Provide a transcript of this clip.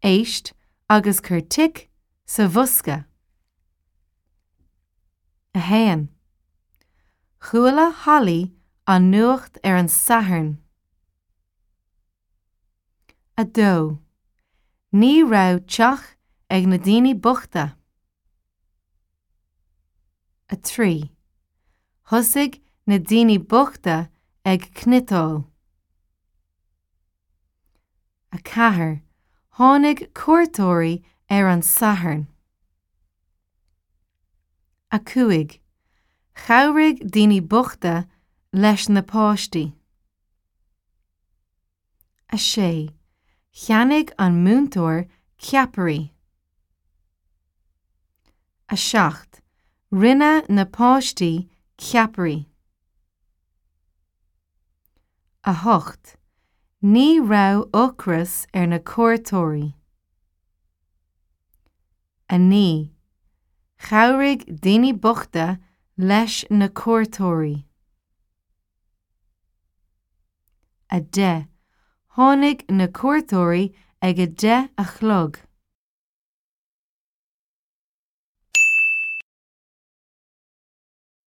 Éist agus cuir tic sa bhosca. 1. Chuala Holly an nuacht ar an Satharn. 2. Ní raibh teach ag na daoine bochta. 3. Thosaigh na daoine bochta ag cniotáil. 4. Tháinig cuairteoirí ar an Satharn. 5. Chabhraigh daoine bochta leis na páistí. 6. Cheannaigh an múinteoir ceapairí. 7. Rinne na páistí ceapairí. 8. Ní raibh ocras ar na cuairteoirí. 9. Chabhraigh daoine bochta leis na cuairteoirí. 10. Tháinig na cuairteoirí ag a deich a chlog.